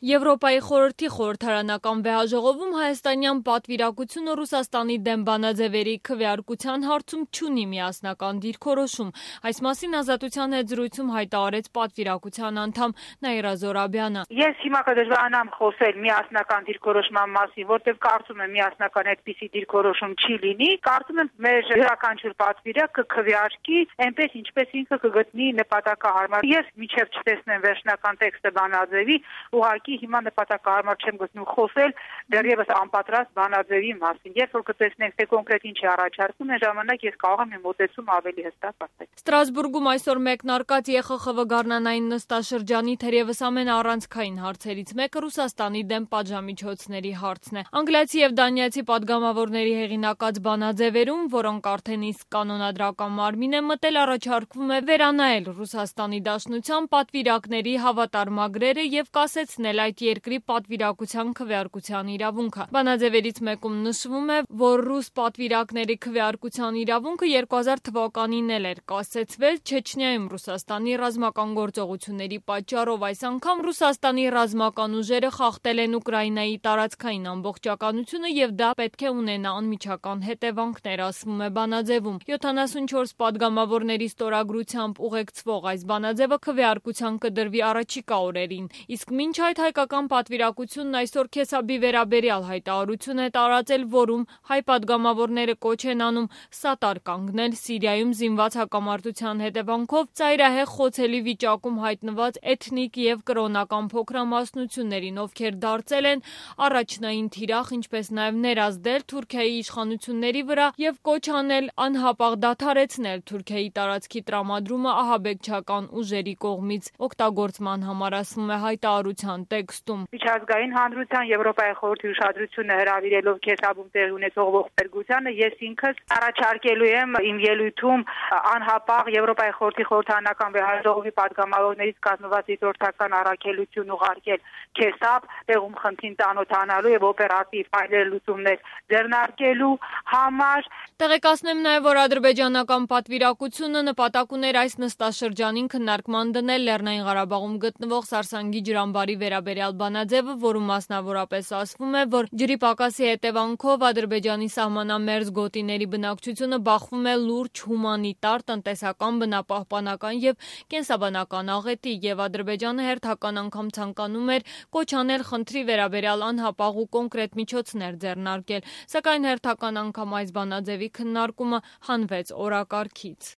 Եվրոպայի խորհրդի խորհրդարանական վեհաժողովում հայաստանյան պատվիրակությունը Ռուսաստանի դեմ բանաձևերի քվեարկության հարցում չունի միասնական դիրքորոշում։ Այս մասին Ազատության հետ զրույցում հայտարարեց պատվիրակության անդամ Նաիրա Զորաբյանը։ Ես հիմա կդժվարանամ խոսել միասնական դիրքորոշման մասին, որտեղ կարծում եմ միասնական այդպիսի դիրքորոշում չի լինի։ Կարծում եմ մեր յուրաքանչյուր պատվիրակ կքվեարկի այնպես ինչպես ինքը կգտնի նպատակահարմար։ Ես մինչև չտեսնեմ վերջնական տեքստը բանաձևի, ուղղակի հիմա նպատակահարմար չեմ գտնում խոսել դեռևս անպատրաստ բանաձևի մասին։ Երբ որ կտեսնենք թե կոնկրետ ինչ է առաջարկում, այն ժամանակ ես կարող եմ իմ մոտեցում ավելի հստակ ասել։ Ստրասբուրգում այսօր մեկնարկած ԵԽԽՎ գարնանային նստաշրջանի թերևս ամենաառանցքային հարցերից մեկը Ռուսաստանի դեմ պատժամիջոցների հարցն է։ Անգլիացի եւ դանիացի падգամավորների հեղինակած բանաձևերում, որոնք արդեն իսկ կանոնադրական մարմին է մտել, առաջարկվում է վերանայել Ռուսաստանի Դաշնության պատվիրակների հավատարմագրերը եւ կասեցնել այդ երկրի պատվիրակության քվեարկության իրավունքը։ Բանաձևերից մեկում նշվում է, որ ռուս պատվիրակների քվեարկության իրավունքը 2000 թվականին էր կասեցվել Չեչնիայում Ռուսաստանի ռազմական գործողությունների պատճառով։ Այս անգամ Ռուսաստանի ռազմական ուժերը խախտել են Ուկրաինայի տարածքային ամբողջականությունը եւ դա պետք է ունենա անմիջական հետևանքներ, ասվում է բանաձևում։ 74 падգամավորների ստորագրությամբ ուղեկցվող այս բանաձևը քվեարկության կդրվի առաջիկա օրերին, իսկ մինչ այդ հայկական պատվիրակությունն այսօր Քեսաբի վերաբերյալ հայտարարություն է տարածել, որում հայ падգամավորները կոչ են անում սատար կանգնել Սիրիայում զինված հակամարտության հետևանքով ծայրահեղ խոցելի վիճակում հայտնված էթնիկ եւ կրոնական փոքրամասնություններին, ովքեր դարձել են առաջնային թիրախ, ինչպես նաեւ ներազդել Թուրքիայի իշխանությունների վրա եւ կոչ անել անհապաղ դադարեցնել Թուրքիայի տարածքի տրամադրումը ահաբեկչական ուժերի կողմից օգտագործման համար, ասվում է հայտարարության տեքստում։ Միջազգային հանրության Եվրոպայի խորհրդի ուշադրությունը հրավիրելով Քեսաբում տեղի ունեցող ողբերգությանը, ես ինքս առաջարկելու եմ իմ ելույթում անհապաղ Եվրոպայի խորհրդի խորհրդարանական վեհաժողովի падգամավորներից կազմված դիտորդական առաքելություն ուղարկել Քեսաբ, տեղում խնդրին ծանոթանալու եւ օպերատիվ այլ լուծումներ ձեռնարկելու համար։ Տեղեկացնեմ նաև, որ ադրբեջանական պատվիրակությունը նպատակ ուներ այս նստաշրջանին քննարկման դնել Լեռնային Ղարաբաղում գտնվող Սարսանգի ջրամբարի վերաբերյալ բանաձևը, որում մասնավորապես ասվում է, որ ջրի պակասի հետևանքով Ադրբեջանի սահմանամերձ գոտիների բնակչությունը բախվում է լուրջ հումանիտար, տնտեսական, բնապահպանական եւ կենսաբանական աղետի, եւ Ադրբեջանը հերթական անգամ ցանկանում էր կոչ անել խնդրի վերաբերյալ անհապաղ ու կոնկրետ միջոցներ ձեռնարկել, սակայն հերթական անգամ այս բանաձևի քննարկումը հանվեց օրակարգից։